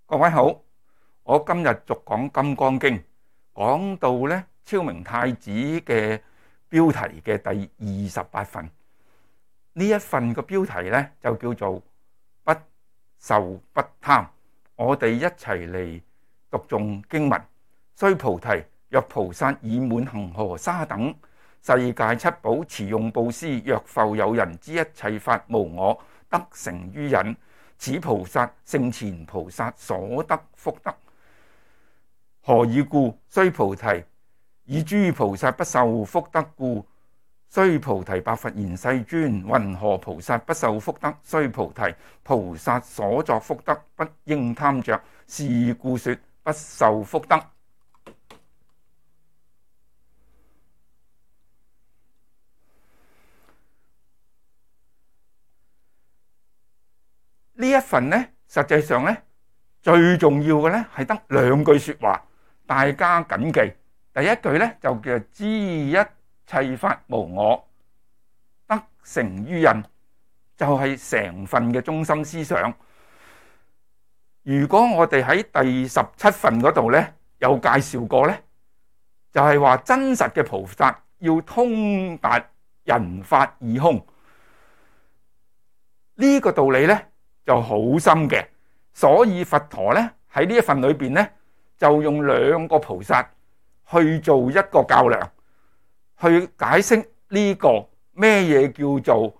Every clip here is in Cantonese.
各位好，我今日續講《金剛經》，講到咧昭明太子嘅標題嘅第28份。呢一份嘅標題咧就叫做不受不貪。我哋一齊嚟讀誦經文。須菩提，若菩薩以滿恒河沙等世界七寶持用布施，若復有人知一切法無我，得成於忍，此菩薩勝前菩薩所得福德。何以故？須菩提，以諸菩薩不受福德故。須菩提，白佛言：世尊，云何菩薩不受福德？須菩提，菩薩所作福德不應貪着，是故說不受福德。呢一份呢，實際上呢，最重要嘅呢係得兩句說話，大家謹記。第一句呢，就叫知一切法無我，得成於忍，就係成份嘅中心思想。如果我哋喺第17份嗰度呢，有介紹過呢，就係話真實嘅菩薩要通達人法二空，呢個道理呢就好深嘅。所以佛陀呢喺呢一份裏邊呢，就用兩個菩薩去做一個較量，去解釋呢個咩嘢叫做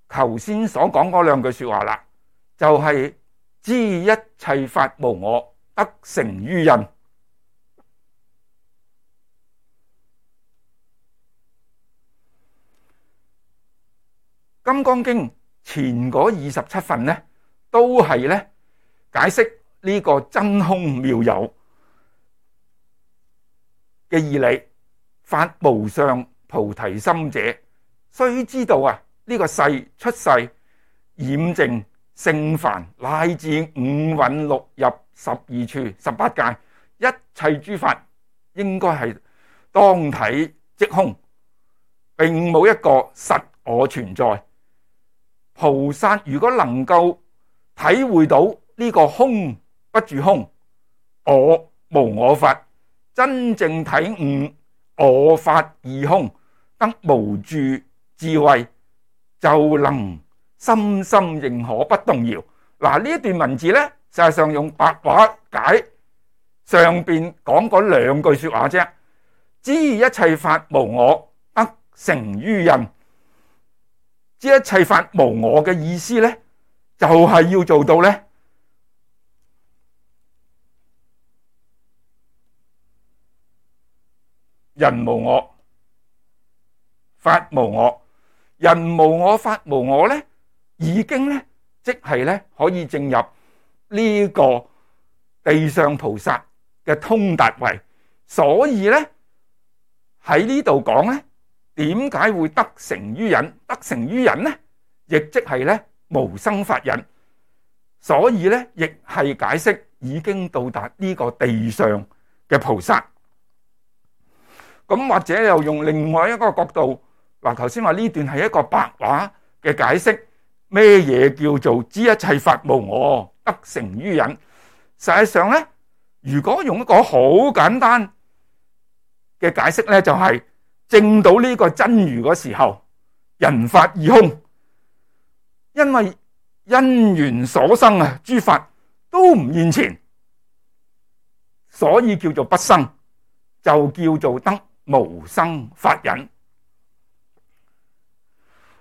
頭先所講嗰兩句說話啦，就係知一切法無我，得成於忍。金剛經前嗰27份呢，都係呢解釋呢個真空妙有嘅義理。發無上菩提心者，須知道啊，呢個世出世染淨聖凡乃至五蘊六入12處18界，一切諸法應該係當體即空，並冇一個實我存在。菩薩如果能夠體會到呢個空不住空，我無我法，真正體悟我法二空，得無住智慧，就能深深認可不動搖。嗱，呢一段文字呢，實際上用白話解上邊講嗰兩句說話啫。知一切法無我，得成於忍。知一切法無我嘅意思呢，就係要做到呢，人無我，法無我。人無我，法無我呢，已經呢，即係呢，可以證入呢個地上菩薩嘅通達位。所以呢，喺呢度講呢，點解會得成於忍？得成於忍呢，亦即係呢，無生法忍。所以呢，亦係解釋已經到達呢個地上嘅菩薩。咁或者又用另外一個角度，嗱，頭先話呢段係一個白話嘅解釋，咩嘢叫做知一切法無我，得成於忍？實際上呢，如果用一個好簡單嘅解釋呢，就係證到呢個真如嗰時候，人法二空，因為因緣所生啊，諸法都唔現前，所以叫做不生，就叫做得無生法忍。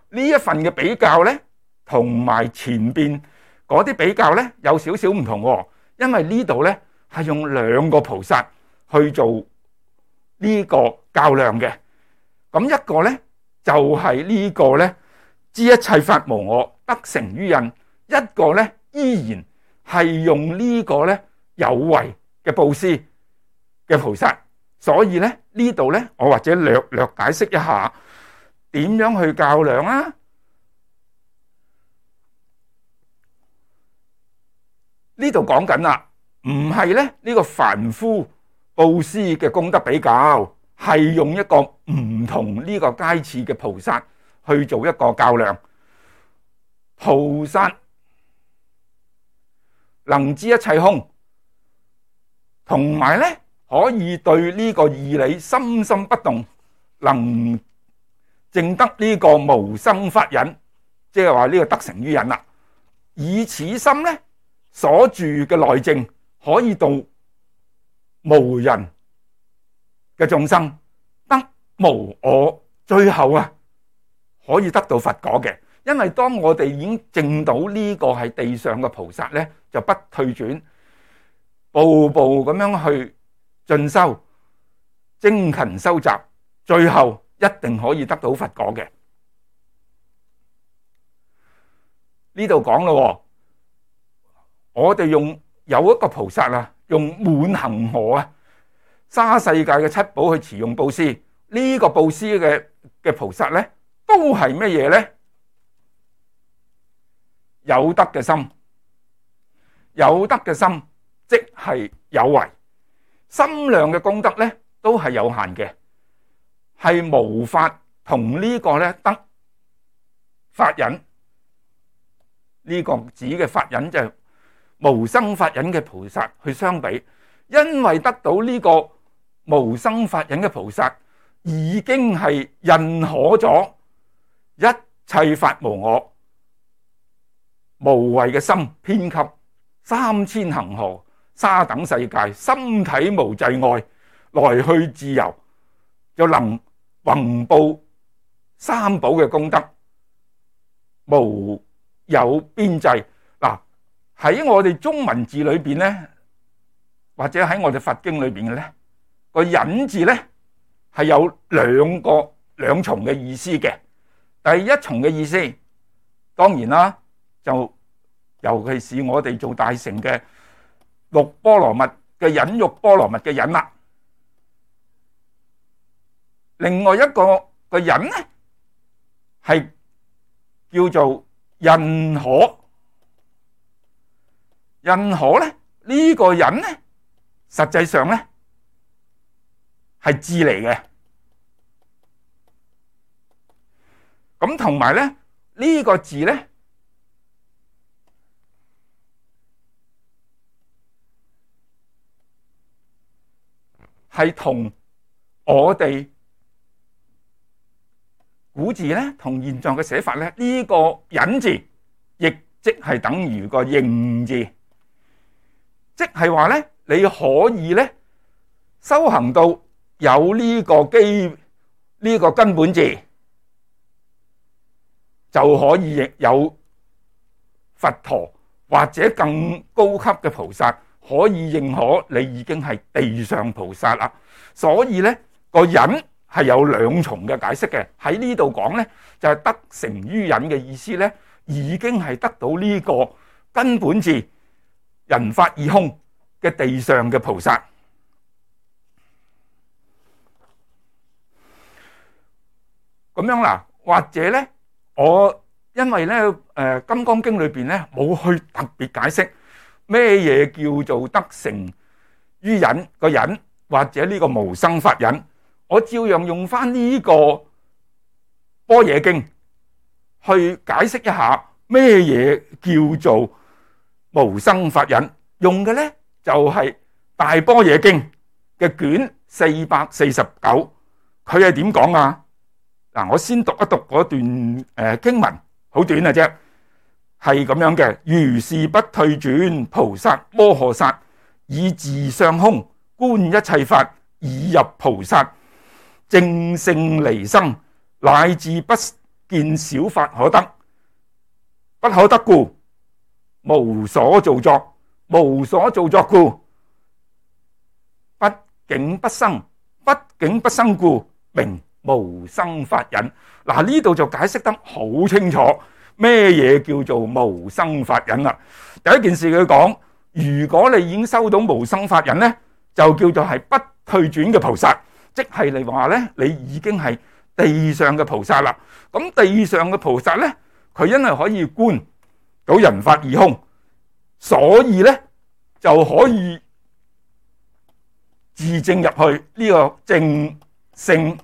呢一份嘅比較呢，同埋前邊嗰啲比較呢，有少少唔同喎。因為呢度呢，係用兩個菩薩去做呢個較量嘅。咁一個呢，就係呢個呢，知一切法無我，得成於忍。一個呢，依然係用呢個呢，有為嘅布施嘅菩薩。所以呢，呢度呢，我或者略略解釋一下點樣去較量啊。呢度講緊啦，唔係呢，呢個凡夫布施嘅功德比較，係用一個唔同呢個階次嘅菩薩去做一個較量。菩薩能知一切空，同埋咧可以對呢個義理深深不動，能證得呢個無生法忍，即係話呢個得成於忍啦。以此心咧所住嘅內證，可以度無人嘅眾生，得無我，最後啊可以得到佛果嘅。因為當我哋已經證到呢個係地上嘅菩薩咧，就不退轉，步步咁樣去進修、精勤修習，最後一定可以得到佛果嘅。呢度講咯，我哋有一個菩薩啊，用滿恒河啊，沙世界嘅七寶去持用布施，呢個布施嘅菩薩咧，都係乜嘢咧？有德嘅心，有德嘅心即係有為，心量嘅功德咧都係有限嘅，係無法同呢個咧得法忍，呢個指嘅法忍就係無生法忍嘅菩薩去相比，因為得到呢個無生法忍嘅菩薩已經係認可咗一切法無我，無為嘅心遍及3000恆河沙等世界，心體無際礙，來去自由，就能宏報三寶嘅功德，無有邊際。嗱，喺我哋中文字裏邊咧，或者喺我哋佛經裏邊嘅咧，個忍字咧係有兩重嘅意思嘅。第一重嘅意思，當然啦，就尤其是我哋做大乘嘅六波羅蜜嘅忍辱波羅蜜嘅忍啦。另外一個忍咧係叫做認可，認可咧呢個忍咧實際上咧係字嚟嘅。咁同埋咧呢個字咧係同我哋古字咧同現在嘅寫法咧，呢個忍字亦即係等於個認字，即係話咧你可以咧修行到有呢個根本字，就可以有佛陀或者更高級嘅菩薩可以認可你已經係地上菩薩啦。所以咧個忍係有兩重嘅解釋嘅。喺呢度講咧就係得成於忍嘅意思咧，已經係得到呢個根本字人法二空嘅地上嘅菩薩。咁樣啦，或者咧我因為咧《金剛經》裏邊咧冇去特別解釋咩嘢叫做得成於忍個忍，或者呢個無生法忍，我照樣用翻呢個般若經去解釋一下咩嘢叫做無生法忍。用嘅咧就係大般若經嘅卷449，佢係點講啊？嗱，我先讀一讀嗰段經文，好短嘅啫，係咁樣嘅：如是不退轉，菩薩摩訶薩以自相空觀一切法，已入菩薩正性離生，乃至不見小法可得，不可得故，無所造作，無所造作故，不境不生，不境不生故，名無生法忍。嗱，呢度就解釋得好清楚，咩嘢叫做無生法忍啦？第一件事佢講，如果你已經收到無生法忍咧，就叫做係不退轉嘅菩薩，即係你話咧，你已經係地上嘅菩薩啦。咁地上嘅菩薩咧，佢因為可以觀到人法二空，所以咧就可以自證入去呢個正性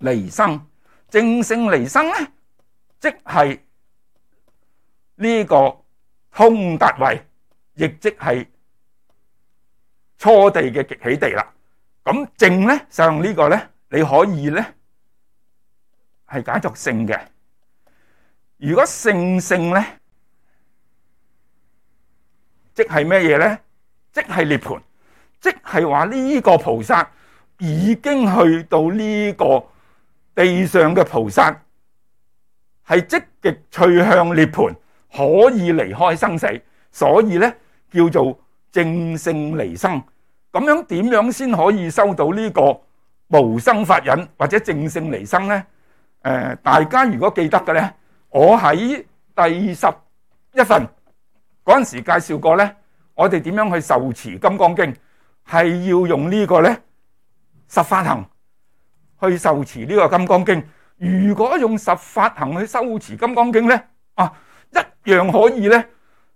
離生。正性離生咧，即係呢個通達位，亦即係初地嘅極喜地啦。咁正咧，上呢個咧，你可以咧係解作聖嘅。如果聖咧，即係咩嘢咧？即係涅槃，即係話呢個菩薩已經去到呢個地上嘅菩薩，係積極趨向涅槃，可以離開生死，所以咧叫做證聖離生。咁樣點樣先可以收到呢個無生法忍或者證聖離生咧？大家如果記得嘅咧，我喺第11份嗰陣時介紹過咧，我哋點樣去受持金剛經，係要用呢個咧十法行去受持呢個金剛經。如果用十法行去修持金剛經咧，一樣可以咧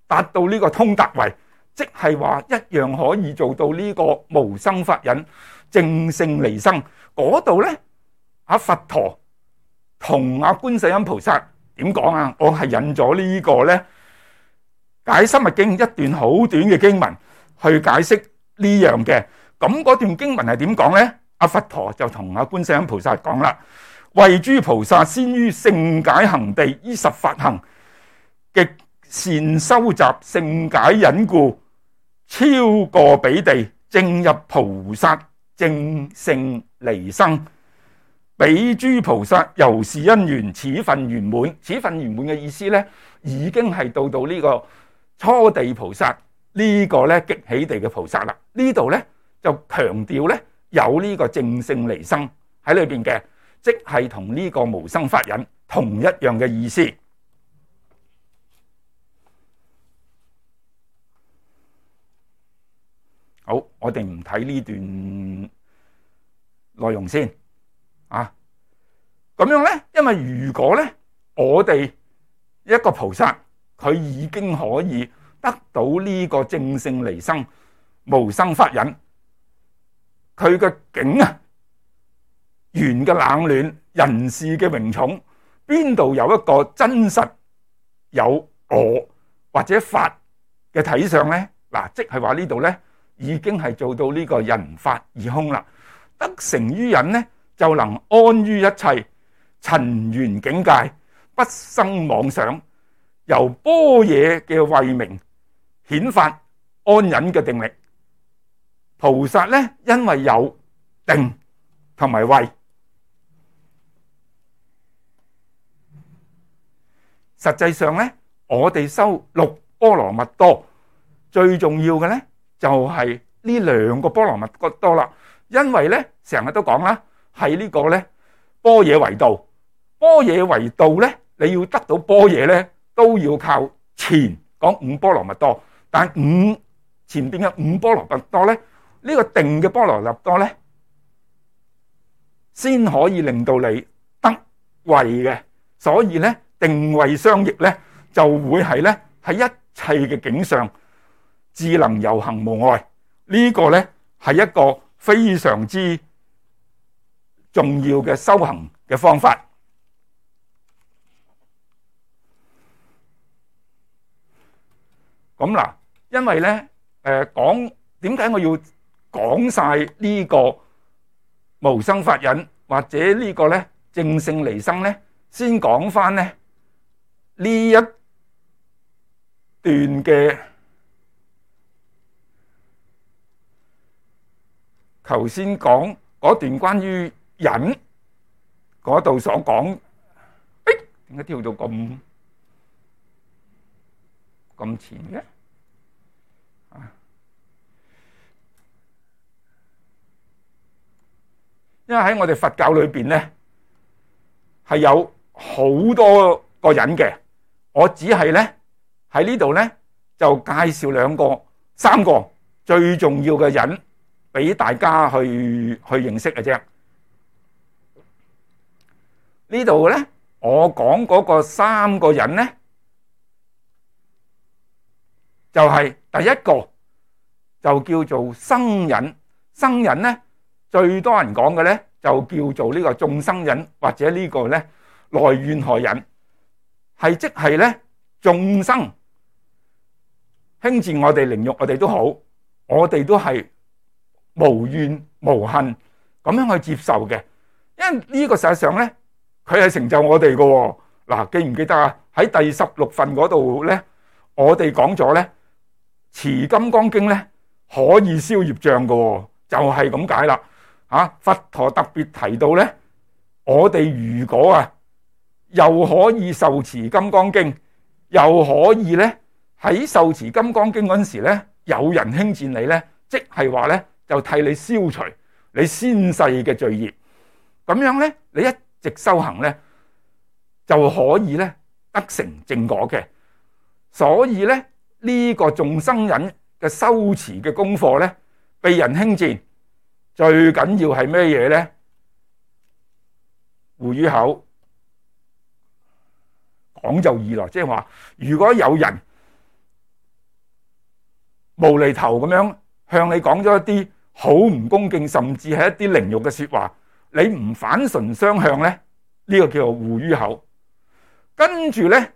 達到呢個通達位，即係話一樣可以做到呢個無生法忍證聖離生。嗰度咧，佛陀同觀世音菩薩點講啊？我係引咗呢個咧解深密經一段好短嘅經文去解釋呢樣嘅。咁嗰段經文係點講咧？佛陀就同觀世音菩薩講啦：為諸菩薩先於聖解行地，依十法行極善收集聖解忍故，超過彼地，正入菩薩證聖離生。彼諸菩薩由是因緣，此份圓滿。此份圓滿嘅意思咧，已經係到呢個初地菩薩呢個咧極喜地嘅菩薩啦。呢度咧就強調咧有呢個證聖離生喺裏邊嘅，即係同呢個無生法忍同一樣嘅意思。好，我哋唔睇呢段內容先咁樣咧，因為如果咧我哋一個菩薩佢已經可以得到呢個證聖離生無生法忍，佢嘅境緣嘅冷暖，人事嘅榮寵，邊度有一個真實有我或者法嘅體相咧？即係話呢度咧已經係做到呢個人法二空啦。得成於忍咧，就能安於一切塵緣境界，不生妄想，由般若嘅慧明顯發安忍嘅定力。菩薩咧，因為有定同埋慧，實際上咧，我哋修六波羅蜜多最重要嘅咧，就係呢兩個波羅蜜多啦。因為咧，成日都講啦，係呢個咧般若為道。般若為道咧，你要得到般若咧，都要靠前講五波羅蜜多。但前邊嘅五波羅蜜多咧，呢個定嘅波羅蜜多咧，先可以令到你得慧嘅。所以咧，定慧相益咧，就會係咧喺一切嘅境上智能遊行無礙。呢個咧係一個非常之重要嘅修行嘅方法。咁嗱，因為咧講點解我要講晒呢個無生法忍或者呢個咧證聖離生咧？先講翻咧呢一段嘅頭先講嗰段關於忍嗰度所講，點解跳到咁前嘅？因為喺我哋佛教裏邊咧，係有好多個忍嘅。我只係咧喺呢度咧就介紹三個最重要嘅忍俾大家去認識嘅啫。呢度咧我講嗰個三個忍咧，就係第一個就叫做生忍。生忍咧最多人講嘅咧就叫做呢個眾生忍，或者呢個咧內怨害忍，係即係咧眾生輕賤我哋凌辱我哋都好，我哋都係無怨無恨咁樣去接受嘅，因為呢個實際上咧，佢係成就我哋嘅。嗱，記唔記得啊？喺第16份嗰度咧，我哋講咗咧，持金剛經咧可以消業障嘅，就係咁解啦。佛陀特別提到咧，我哋如果又可以受持金剛經，又可以咧喺受持金剛經嗰陣時咧，有人輕賤你咧，即係話咧就替你消除你先世嘅罪業，咁樣咧你一直修行咧就可以咧得成正果嘅。所以咧呢個眾生人嘅修持嘅功課咧，被人輕賤，最緊要係咩嘢咧？護於口，講就易咯，即係話如果有人無厘頭咁樣向你講咗一啲好唔恭敬，甚至係一啲凌辱嘅說話，你唔反唇相向咧，呢個叫做護於口。跟住咧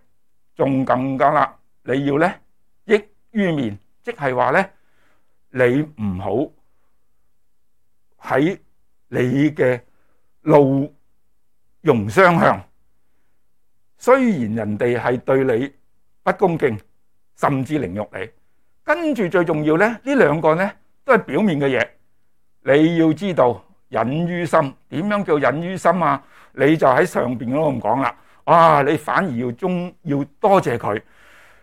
仲更加啦，你要咧益於面，即係話咧你唔好喺你嘅怒容相向，雖然人哋係對你不恭敬，甚至凌辱你，跟住最重要咧，呢兩個咧都係表面嘅嘢。你要知道忍於心，點樣叫忍於心啊？你就喺上邊嗰度咁講啦。你反而要多謝佢，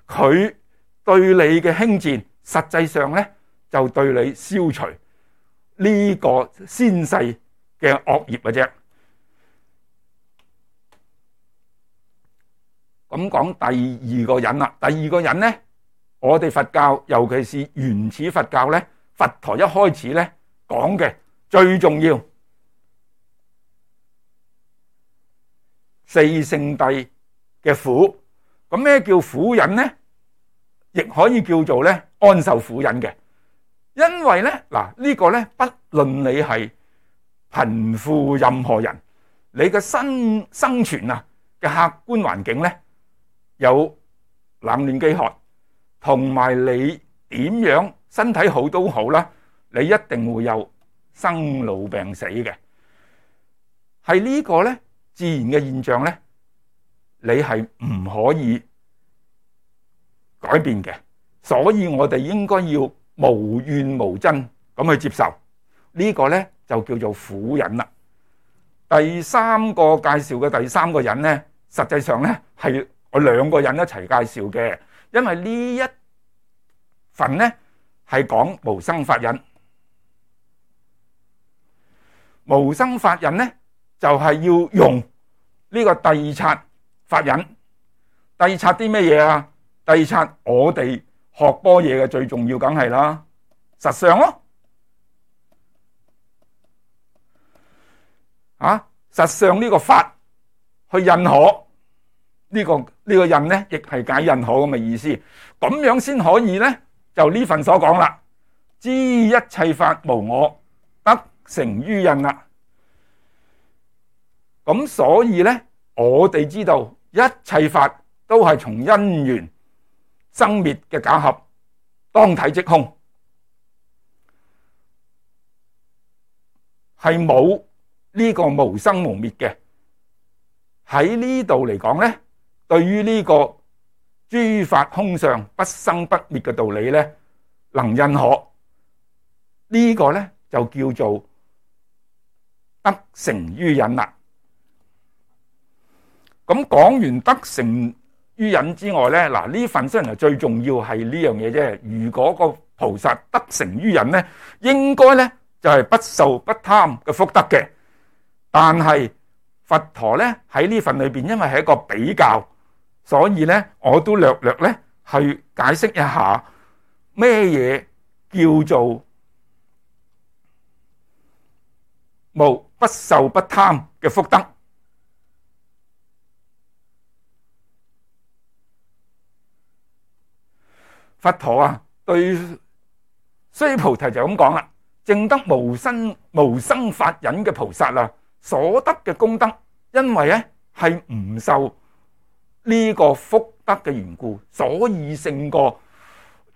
佢對你嘅輕賤，實際上咧就對你消除呢個先世嘅惡業嘅啫。咁講第二個忍啦，第二個忍咧，我哋佛教尤其是原始佛教咧，佛陀一開始咧講嘅最重要四聖諦嘅苦。咁咩叫苦忍咧？亦可以叫做咧安受苦忍嘅。因為咧呢個咧不論你係貧富任何人，你嘅生存嘅客觀環境咧有冷暖飢渴，同埋你點樣身體好都好啦，你一定會有生老病死嘅。係呢個咧自然嘅現象咧，你係唔可以改變嘅。所以我哋應該要無怨無憎咁去接受，呢個咧就叫做苦忍啦。第三個介紹嘅第三個忍咧，實際上咧係我兩個人一齊介紹嘅，因為呢一份咧係講無生法忍。無生法忍咧就係要用呢個諦察法忍。諦察啲咩嘢啊？諦察我哋學般若嘅最重要梗係啦，實相咯。實相呢個法去認可。呢個印咧，亦係解認可咁嘅意思，咁樣先可以咧，就呢份所講啦，知一切法無我，得成於印啦。咁所以咧，我哋知道一切法都係從因緣生滅嘅假合，當體即空，係冇呢個無生無滅嘅。喺呢度嚟講咧，對於呢個諸法空相不生不滅嘅道理咧，能認可，呢個咧就叫做得成於忍啦。咁講完得成於忍之外咧，呢份雖然係最重要係呢樣嘢啫。如果個菩薩得成於忍咧，應該咧就係不受不貪嘅福德嘅。但係佛陀咧喺呢份裏邊，因為係一個比較，所以咧我都略略咧去解釋一下咩嘢叫做無不受不貪嘅福德。佛陀對須菩提就咁講啦，證得無生法忍嘅菩薩所得嘅功德，因為咧係唔受呢個福德嘅緣故，所以勝過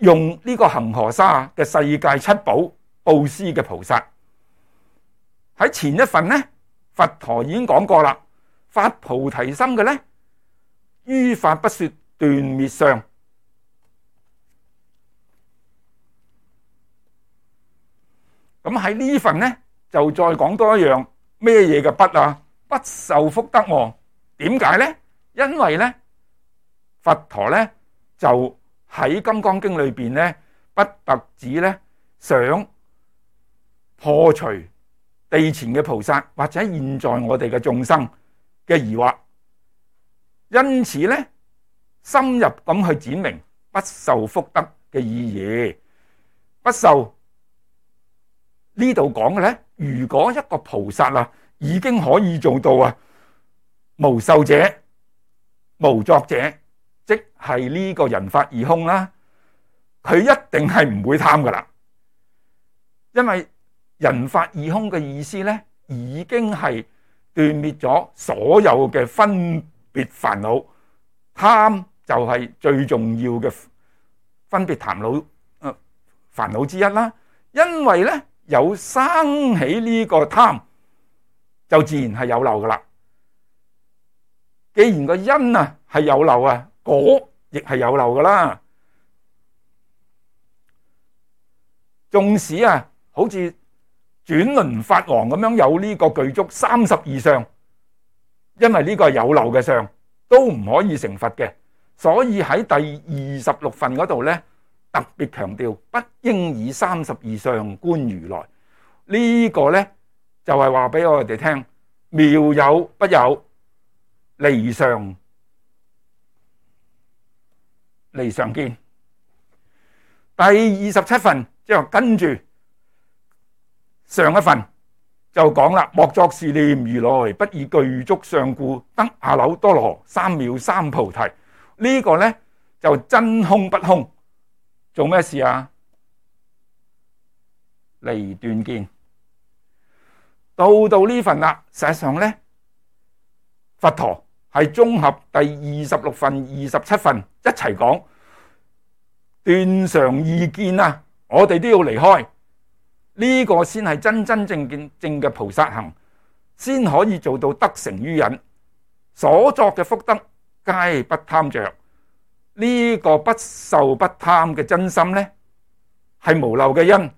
用呢個恒河沙嘅世界七寶布施嘅菩薩。喺前一份呢，佛陀已經講過啦，發菩提心嘅呢，於法不說斷滅相。咁喺呢份呢，就再講多一樣咩嘢嘅不啊？不受福德喎。點解呢？因為呢，佛陀呢，就喺《金剛經》裏邊呢，不特止呢，想破除地前嘅菩薩或者現在我哋嘅眾生嘅疑惑，因此呢，深入咁去闡明不受福德嘅意義。不受呢度講嘅呢，如果一個菩薩啊已經可以做到啊無受者無作者，即係呢個人法二空啦，佢一定係唔會貪噶啦。因為人法二空嘅意思呢，已經係斷滅咗所有嘅分別煩惱，貪就係最重要嘅分別煩惱之一啦。因為呢，有生起呢個貪，就自然係有漏噶啦。既然個因啊係有漏啊，果亦係有漏噶啦。縱使啊，好似轉輪法王咁樣有呢個具足32相，因為呢個係有漏嘅相，都唔可以成佛嘅。所以喺第26份嗰度呢，特別強調不應以32相觀如來。呢個呢，就係話俾我哋聽，妙有不有，離常見。第27份即係跟住上一份就講啦，莫作是念，如來不以具足相故得阿耨多羅三藐三菩提。呢個呢，就真空不空，做咩事啊？離斷見。到呢份啦，實際上呢，佛陀係綜合第26份、27份一齊講斷常二見啊！我哋都要離開呢個，先係真正嘅菩薩行，先可以做到得成於忍。所作嘅福德皆不貪着。呢個不受不貪嘅真心呢，係無漏嘅因，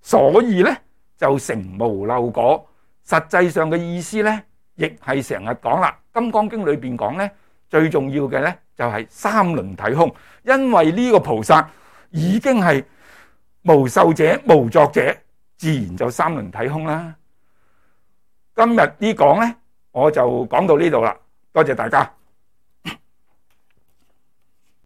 所以呢，就成無漏果。實際上嘅意思呢，亦係成日講啦，《金剛經》裏邊講呢，最重要嘅呢，就係三輪體空。因為呢個菩薩已經係無受者無作者，自然就三輪體空啦。今日呢講呢，我就講到呢度啦，多謝大家。